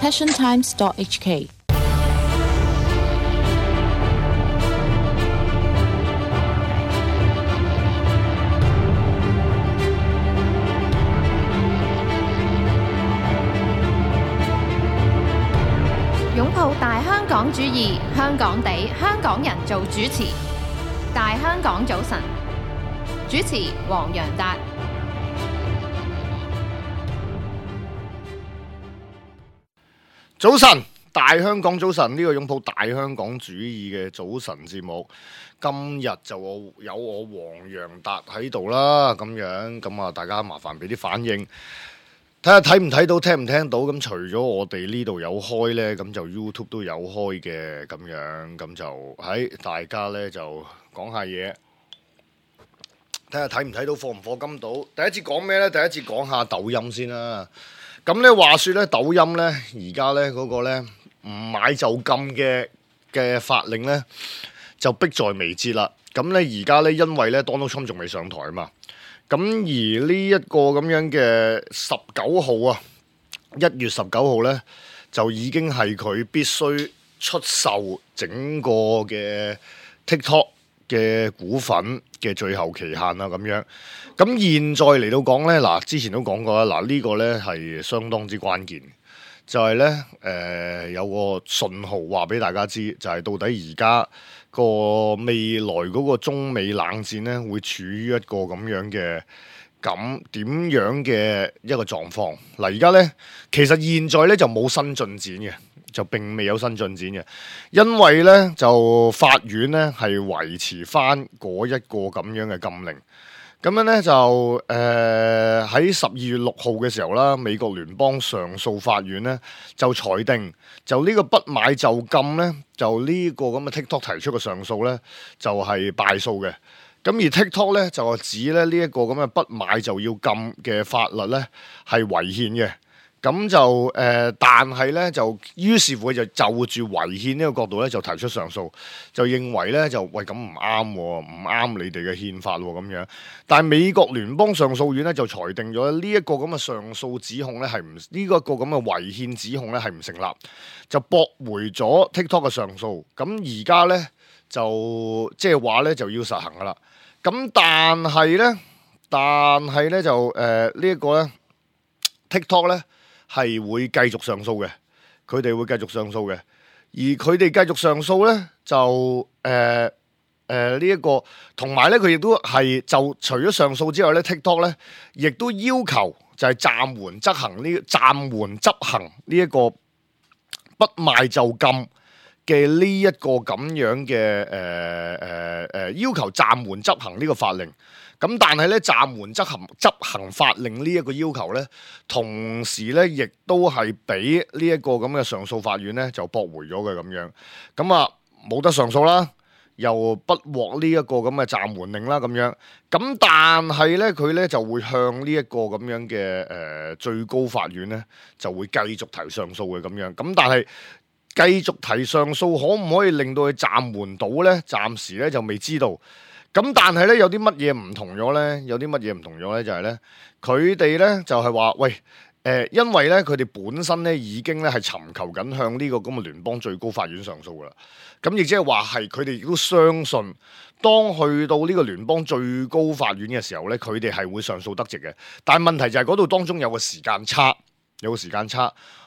passiontimes.hk。擁抱大香港主義，香港地，香港人做主持。大香港早晨，主持黃洋達。早晨，大香港早晨，呢個擁抱大香港主義嘅早晨節目，今日就有我黃洋達喺度啦，咁樣咁啊，大家麻煩俾啲反應。睇下睇唔睇到，聽唔聽到？咁除咗我哋呢度有開呢，咁就 YouTube 都有開嘅，咁樣咁就喺大家呢就講下嘢，睇下睇唔睇到，課唔課金到？第一節講咩呢？第一節講下抖音先啦。咁呢話說呢，抖音呢而家呢嗰個呢唔買就禁嘅法令呢，就迫在眉睫啦。咁呢而家呢，因為呢 Donald Trump 仲未上台啊嘛。咁而呢一個咁樣嘅19號啊，1月19號呢，就已經係佢必須出售整個嘅 TikTok 嘅股份嘅最後期限啦，咁樣。咁現在嚟到講呢，嗱之前都講過啦，嗱呢個呢係相當之關鍵，就係呢有個信號話俾大家知，就係到底而家個未來嗰個中美冷戰呢，會處於一個咁樣嘅點樣嘅一個狀況。嗱而家呢，其實現在呢就冇新進展嘅，就並未有新進展嘅，因為呢就法院呢係維持翻嗰一個咁樣嘅禁令。咁樣呢，就喺12月6號嘅時候啦，美國聯邦上訴法院呢就裁定，就呢個不買就禁呢，就呢個咁嘅 TikTok 提出嘅上訴呢，就係敗訴嘅。咁而 TikTok 呢，就指咧呢一個咁嘅不買就要禁嘅法律呢係違憲嘅。咁就但係呢，就於是乎就住違憲呢個角度呢，就提出上訴，就認為呢，就喂咁唔啱喎，唔啱你哋嘅憲法喎咁樣。但係美國聯邦上訴院呢，就裁定咗呢一個咁嘅上訴指控呢係唔呢個咁嘅違憲指控呢係唔成立，就駁回咗 TikTok 嘅上訴。咁而家呢，就即係話呢，就要實行噶啦。咁但係呢，就呢一個呢 TikTok 呢，係會繼續上訴嘅，佢哋會繼續上訴嘅，而佢哋繼續上訴呢，就呢一個，同埋呢，佢亦都係就除咗上訴之外呢 TikTok 呢亦都要求就係暫緩執行呢一個不賣就禁嘅呢一個咁樣嘅要求暫緩執行呢個法令。咁但係咧暫緩執行法令呢一個要求咧，同時咧亦都係俾呢一個咁嘅上訴法院咧就駁回咗嘅咁樣。咁啊冇得上訴啦，又不獲呢一個咁嘅暫緩令啦咁樣。咁但係咧佢咧就會向呢一個咁樣嘅最高法院咧就會繼續提上訴嘅咁樣。咁但係繼續提上訴可唔可以令到佢暫緩到咧？暫時咧就未知道。咁但係咧有啲乜嘢唔同咗咧？有啲乜嘢唔同咗咧？就係咧佢哋咧就係話喂因為咧佢哋本身咧已經咧係尋求緊向呢個咁嘅聯邦最高法院上訴噶啦。咁亦即係話係佢哋亦都相信，當去到呢個聯邦最高法院嘅時候咧，佢哋係會上訴得直嘅。但係問題就係嗰度當中有個時間差。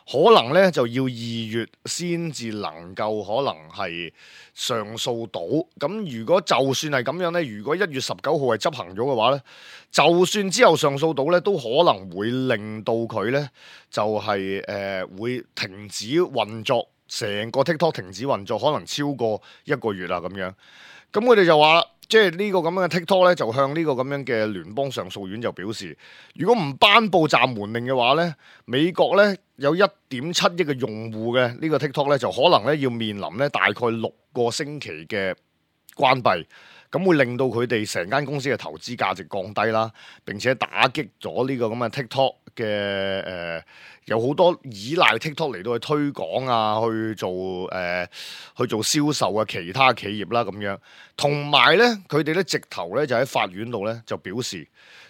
可能咧就要2月先至能夠可能係上訴到。咁如果就算係咁樣咧，如果1月19號係執行咗嘅話咧，就算之後上訴到咧，都可能會令到佢咧就係會停止運作，成個 TikTok 停止運作，可能超過1個月啦咁樣。咁佢哋就話啦，即係呢個咁樣嘅 TikTok 咧，就向呢個咁樣嘅聯邦上訴院就表示，如果唔頒布暫緩令嘅話咧，美國咧有1.7億嘅用戶嘅呢個 TikTok 咧，就可能咧要面臨咧大概6個星期嘅關閉。咁會令到佢哋成間公司嘅投資價值降低啦，並且打擊咗呢個咁嘅 TikTok 嘅有好多依賴 TikTok 嚟到去推廣啊，去做銷售嘅其他企業啦咁樣。同埋咧，佢哋咧直頭咧就喺法院度咧就表示，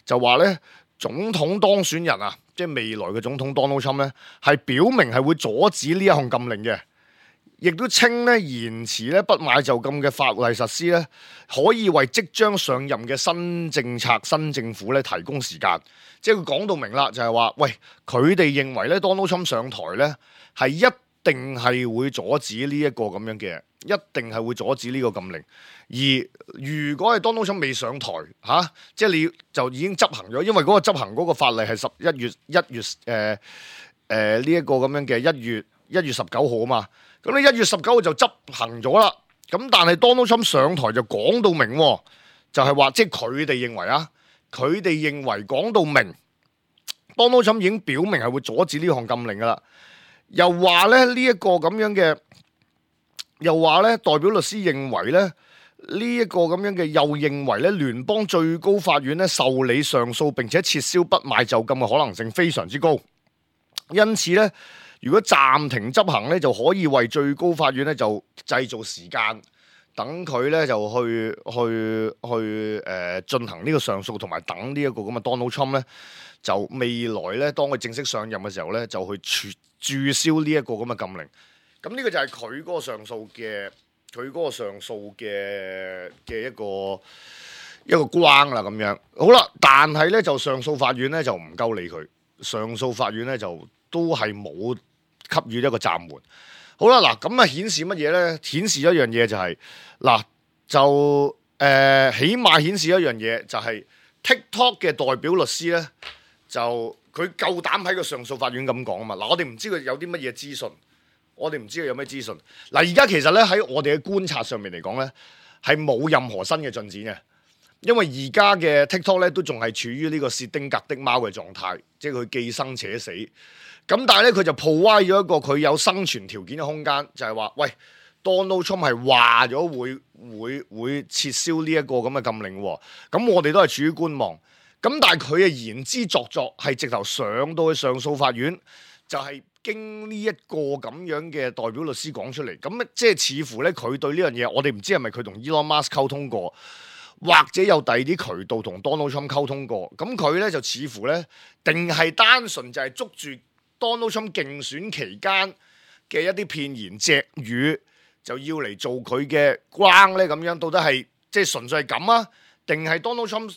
就話咧總統當選人啊即係未來嘅總統 Donald Trump 咧，係表明係會阻止呢一項禁令嘅，亦都稱咧延遲咧不買就禁嘅法例實施咧，可以為即將上任嘅新政策、新政府咧提供時間。即係佢講到明啦，就係話，喂，佢哋認為咧 Donald Trump 上台咧係一定係會阻止呢一個咁樣嘅，一定係會阻止呢個禁令。而如果係 Donald Trump 未上台即係你就已經執行咗，因為嗰個執行嗰個法例係11月呢一個咁樣嘅1月19號啊嘛。咁你1月19號就執行咗啦。咁但係 Donald Trump 上台就講到明，就係話即係佢哋認為佢哋認為講到明 Donald Trump 已經表明係會阻止呢項禁令噶啦。又話咧呢一個咁樣嘅，又話咧代表律師認為咧呢一個咁樣嘅，又認為咧聯邦最高法院咧受理上訴並且撤銷不買就禁嘅可能性非常之高。因此咧，如果暫停執行咧，就可以為最高法院咧就製造時間，等佢咧就去進行呢個上訴，同埋等呢一個咁嘅 Donald Trump 咧就未來咧當佢正式上任嘅時候咧就去註銷呢一個咁嘅禁令。咁呢個就係佢嗰個上訴嘅一個關啦咁樣。好啦，但係咧就上訴法院咧就唔夠理佢，上訴法院咧就都係冇給予一個暫緩。好啦，嗱咁啊顯示乜嘢咧？顯示一樣嘢就係起碼顯示一樣嘢就係 TikTok 嘅代表律師咧，就佢夠膽喺個上訴法院咁講啊嘛。嗱，我哋唔知佢有啲乜嘢資訊。我哋唔知佢有咩資訊。嗱，而家其實咧喺我哋嘅觀察上面嚟講咧，係冇任何新嘅進展嘅，因為而家嘅 TikTok 咧都仲係處於呢個薛丁格的貓嘅狀態，即係佢既生且死。咁但係咧佢就破壞咗一個佢有生存條件嘅空間，就係話，喂，Donald Trump 係話咗會撤銷呢一個咁嘅禁令喎。咁我哋都係處於觀望。咁但係佢嘅言之鑿鑿係直頭上到去上訴法院，就係經呢一個咁樣嘅代表律師講出嚟，咁即係似乎咧佢對呢樣嘢，我哋唔知係咪佢同 Elon Musk 溝通過，或者有第二啲渠道同 Donald Trump 溝通過。咁佢咧就似乎咧，定係單純就係捉住 Donald Trump 競選期間嘅一啲片言隻語，就要嚟做佢嘅關咧咁樣。到底係即係純粹係咁啊？定係 Donald Trump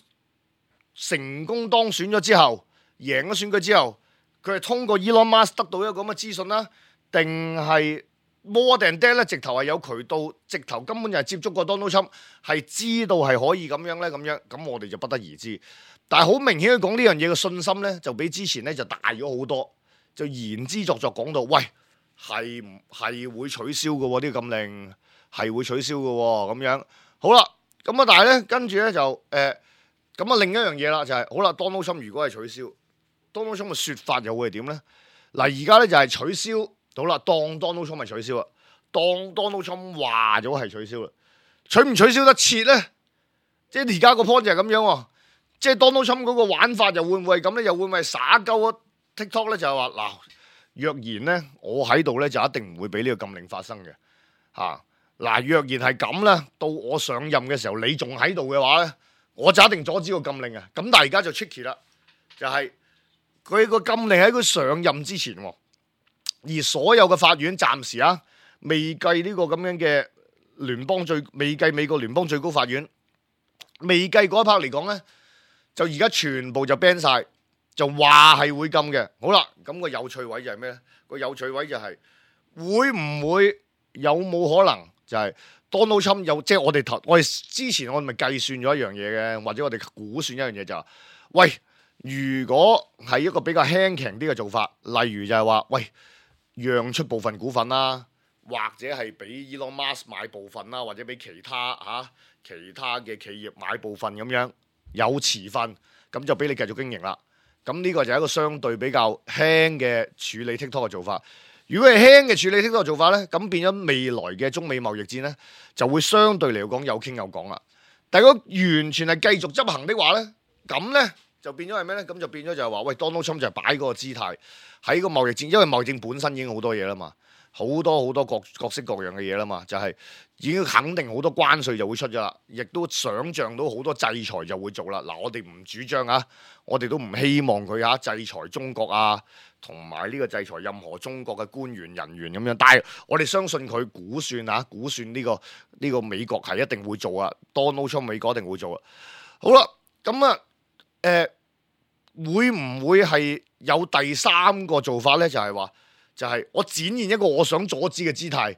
成功當選咗之後，贏咗選舉之後，佢係通過 Elon Musk 得到一個咁嘅資訊啦，定係 more than that 咧？直頭係有渠道，直頭根本就係接觸過 Donald Trump，係知道係可以咁樣咧，咁樣咁我哋就不得而知。但係好明顯佢講呢樣嘢嘅信心咧，就比之前咧就大咗好多，就言之鑿鑿講到，喂，係會取消嘅喎，呢個禁令係會取消嘅喎，咁樣好啦。咁啊，但係咧跟住咧就咁啊另一樣嘢啦，就係好啦，Donald Trump 如果係取消，Donald Trump 嘅説法又會係點咧？嗱，而家咧就係取消好啦，當 Donald Trump 係取消啦，當 Donald Trump 話咗係取消啦，取唔取消得切咧？即係而家個 point 就係咁樣喎，即係 Donald Trump 嗰個玩法又會唔會係咁咧？又會唔會係耍鳩啊 TikTok 咧？就係話嗱，若然咧我喺度咧就一定唔會俾呢個禁令發生嘅嚇。嗱，若然係咁咧，到我上任嘅時候你仲喺度嘅話咧，我就一定阻止個禁令啊！咁但係而家就 tricky 啦，就係佢個禁令喺佢上任之前，而所有嘅法院暫時未計呢個咁樣嘅未計美國聯邦最高法院，未計嗰一 part 嚟講咧，就而家全部就 ban 晒，就話係會禁嘅。好啦，咁個有趣位就係咩咧？個有趣位就係會唔會有冇可能就係 Donald Trump 有，即係我哋之前我哋咪計算咗一樣嘢嘅，或者我哋估算一樣嘢就係，喂，如果係一個比較輕強啲嘅做法，例如就係話，喂，讓出部分股份啦，或者係俾 Elon Musk 買部分啦，或者俾其他嘅企業買部分咁樣有持份，咁就俾你繼續經營啦。咁呢個就係一個相對比較輕嘅處理 TikTok 嘅做法。如果係輕嘅處理 TikTok 嘅做法咧，咁變咗未來嘅中美貿易戰咧，就會相對嚟講有傾有講啦。但係如果完全係繼續執行的話咧，咁咧就變咗係咩咧？咁就變咗就係話，喂，Donald Trump 就係擺嗰個姿態喺個貿易戰，因為貿易戰本身已經好多嘢啦嘛，好多各式各樣嘅嘢啦嘛，就係、已經肯定好多關稅就會出咗啦，亦都想像到好多制裁就會做啦。嗱，我哋唔主張啊，我哋都唔希望佢制裁中國啊，同埋呢個制裁任何中國嘅官員人員咁樣。但係我哋相信佢估算呢個美國係一定會做啊，Donald Trump 美國一定會做啊。好啦，咁啊會唔會係有第三個做法呢？就係我展現一個我想阻止嘅姿態，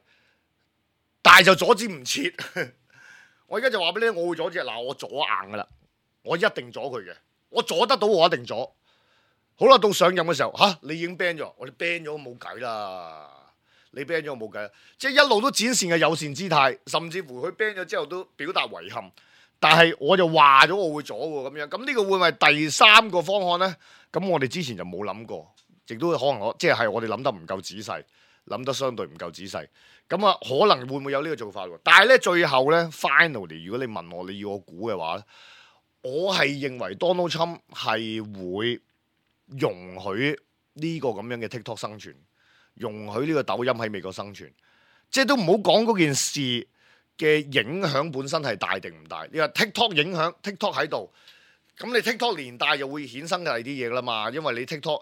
但係就阻止唔切。我而家就話俾你，我會阻止。嗱，我阻硬噶啦，我一定阻佢嘅，我阻得到我一定阻。好啦，到上任嘅時候，你已經 ban 咗，我哋 ban 咗冇計啦。你 ban 咗我冇計，即係一路都展現嘅友善姿態，甚至乎佢 ban 咗之後都表達遺憾。但係我就話咗我會阻喎，咁樣咁呢個會唔係第三個方案呢？咁我哋之前就冇諗過。亦都可能即係我哋諗得唔夠仔細，諗得相對唔夠仔細，咁啊可能會唔會有呢個做法喎？但係咧最後咧 finally， 如果你問我，你要我估嘅話咧，我係認為 Donald Trump 係會容許呢個咁樣嘅 TikTok 生存，容許呢個抖音喺美國生存，即係都唔好講嗰件事嘅影響本身係大定唔大。你話 TikTok 影響 TikTok 喺度，咁你 TikTok 連帶又會衍生嘅第啲嘢啦嘛，因為你 TikTok。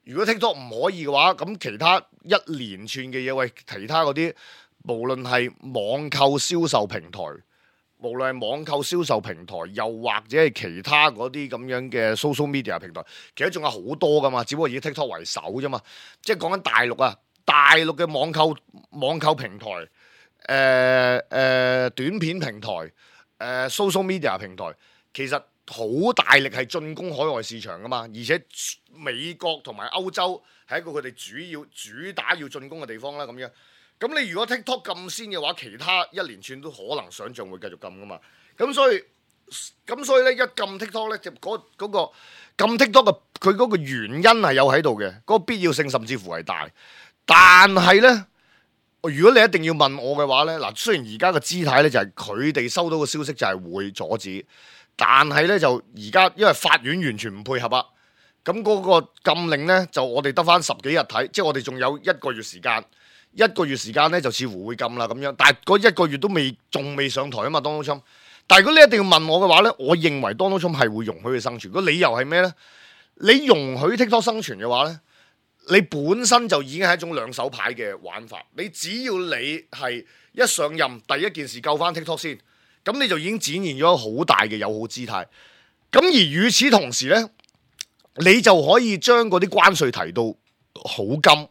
如果 TikTok 唔可以嘅話，咁其他一連串嘅嘢，喂，其他嗰啲無論係網購銷售平台，又或者係其他嗰啲咁樣嘅 social media 平台，其實仲有好多噶嘛，只不過以 TikTok 為首啫嘛。即係講緊大陸啊，大陸嘅網購平台，短片平台，social media 平台，其實好大力係進攻海外市場噶嘛，而且美國同埋歐洲係一個佢哋主打要進攻嘅地方啦，咁樣。咁你如果 TikTok 禁先嘅話，其他一連串都可能想像會繼續禁噶嘛。咁所以咧，一禁 TikTok 咧，就嗰個禁 TikTok 嘅佢嗰個原因係有喺度嘅，嗰個必要性甚至乎係大。但係咧，如果你一定要問我嘅話咧，嗱，雖然而家嘅姿態咧就係佢哋收到嘅消息就係會阻止。但係咧就而家因為法院完全唔配合啊，咁嗰個禁令咧就我哋得翻10幾日睇，即係我哋仲有1個月時間咧就似乎會禁啦咁樣，但係嗰1個月都仲未上台啊嘛 Donald Trump。但係如果你一定要問我嘅話咧，我認為 Donald Trump 係會容許佢生存。個理由係咩咧？你容許 TikTok 生存嘅話咧，你本身就已經係一種兩手牌嘅玩法。你只要你係一上任第一件事救翻 TikTok 先。咁你就已經展現咗好大嘅友好姿態，咁而與此同時呢，你就可以將嗰啲關稅提到好金，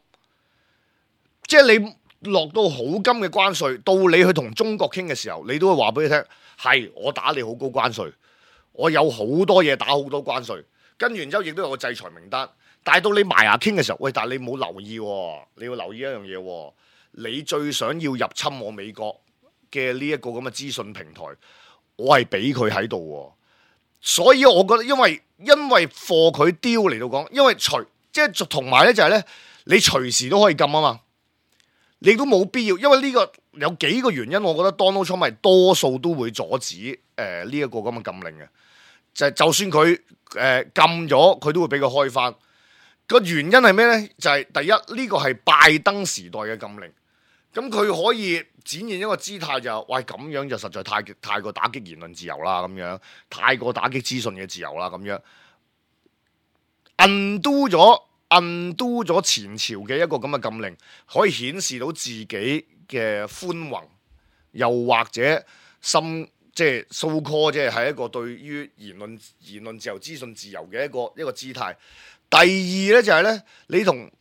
即係你落到好金嘅關稅，到你去同中國傾嘅時候，你都會話俾佢聽，係我打你好高關稅，我有好多嘢打好多關稅，跟完之後亦都有個制裁名單，但係到你埋牙傾嘅時候，喂，但係你冇留意喎，你要留意一樣嘢喎，你最想要入侵我美國嘅呢一個咁嘅資訊平台，我係俾佢喺度，所以我覺得因為貨佢丟嚟到講，因為即係同埋咧就係咧，你隨時都可以禁啊嘛，你都冇必要，因為呢個有幾個原因，我覺得 Donald Trump 係多數都會阻止呢一個咁嘅禁令嘅，就算佢禁咗，佢都會俾佢開翻。個原因係咩咧？就係第一呢個係拜登時代嘅禁令。咁佢可以展現一個姿態就，喂，咁樣就實在太過打擊言論自由啦，咁樣太過打擊資訊嘅自由啦，咁樣 undo 咗前朝嘅一個咁嘅禁令，可以顯示到自己嘅寬宏，又或者即係 so call 即係一個對於言論自由、資訊自由嘅一個姿態。第二咧就係咧，你同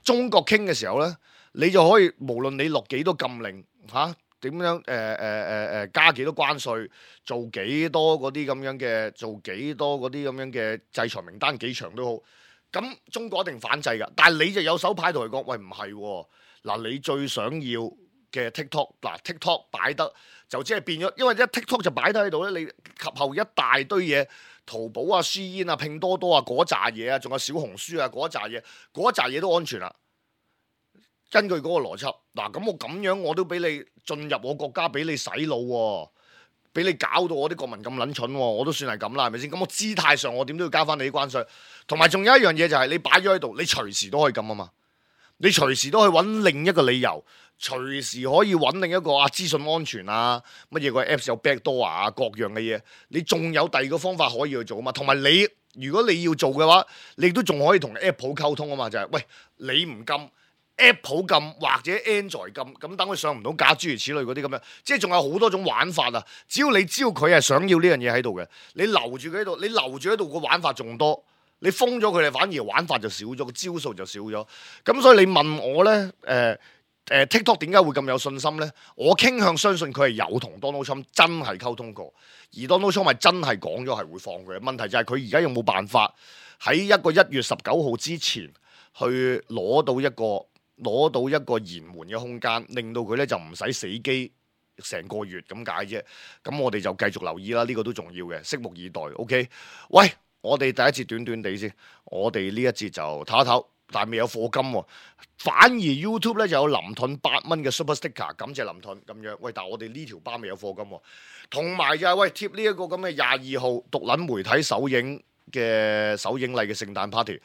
中國傾嘅時候咧。你就可以無論你落幾多禁令點樣加幾多關稅，做幾多嗰啲咁樣嘅制裁名單幾長都好，咁中國一定反制㗎。但係你就有手牌同佢講，喂，唔係喎，嗱，你最想要嘅 TikTok 擺得就即係變咗，因為一 TikTok 就擺得喺度咧，你及後一大堆嘢，淘寶啊、Shein啊、拼多多啊嗰扎嘢啊，仲有小紅書啊嗰扎嘢都安全啦。根據嗰個邏輯，嗱，咁我咁樣我都俾你進入我國家，俾你洗腦喎，俾你搞到我啲國民咁撚蠢喎，我都算係咁啦，係咪先？咁我姿態上我點都要交翻你啲關稅，同埋仲有一樣嘢就係你擺咗喺度，你隨時都可以咁啊嘛。你隨時都可以揾另一個理由，隨時可以揾另一個資訊安全乜嘢個 Apps 有 backdoor 各樣嘅嘢，你仲有第二個方法可以去做啊嘛。同埋你如果你要做嘅話，你都仲可以同 Apple 溝通啊嘛，就係喂，你唔禁 Apple 禁或者 Android 禁，咁等佢上唔到架，諸如此類嗰啲咁樣，即係仲有好多種玩法啊！只要你知道佢係想要呢樣嘢喺度嘅，你留住佢喺度，你留住喺度個玩法仲多，你封咗佢哋反而玩法就少咗，個招數就少咗。咁所以你問我呢，TikTok 點解會咁有信心呢？我傾向相信佢係有同 Donald Trump 真係溝通過，而 Donald Trump 係真係講咗係會放佢嘅。問題就係佢而家有冇辦法喺一個1月19號之前去攞到一個延緩嘅空間，令到佢咧就唔使死機成個月咁解啫。咁我哋就繼續留意啦，呢個都重要嘅，拭目以待。OK， 喂，我哋第一節短短地先，我哋呢一節就唞一唞，但係未有課金喎。反而 YouTube 咧就有林盾8蚊嘅 Super Sticker， 感謝林盾咁樣。喂，但係我哋呢條巴未有課金喎。同埋就係喂貼呢一個咁嘅22號獨撚媒體首映禮嘅聖誕 party。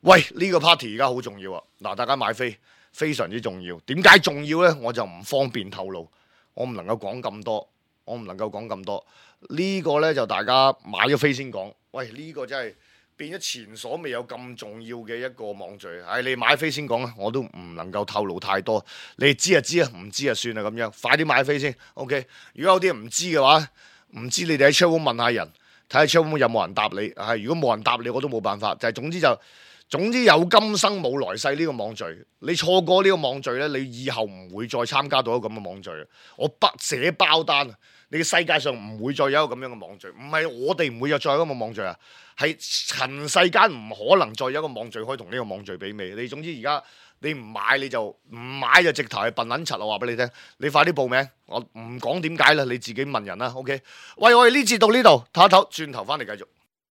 喂，呢個 party 而家好重要啊！嗱，大家買飛非常之重要。點解重要呢？我就唔方便透露，我唔能夠講咁多。呢個呢，就大家買咗飛先講。喂，呢個真係變咗前所未有咁重要嘅一個網聚。你買飛先講啦，我都唔能夠透露太多。你知就知啊，唔知就算啦咁樣。快啲買飛先。OK， 如果有啲人唔知嘅話，唔知你哋喺 chatroom 問下人，睇下 chatroom 有冇人答你。如果冇人答你，我都冇辦法。總之有今生冇來世呢個網聚，你錯過呢個網聚呢，你以後唔會再參加到一個咁嘅網聚。我不寫包單，你嘅世界上唔會再有一個咁樣嘅網聚。唔係我哋唔會有再有一個網聚啊，係塵世間唔可能再有一個網聚可以同呢個網聚媲美。你總之而家你唔買你就唔買，就直頭係笨撚柒。我話俾你聽，你快啲報名。我唔講點解啦，你自己問人啦。OK， 喂，我哋呢節到呢度，唞一唞，轉頭翻嚟繼續。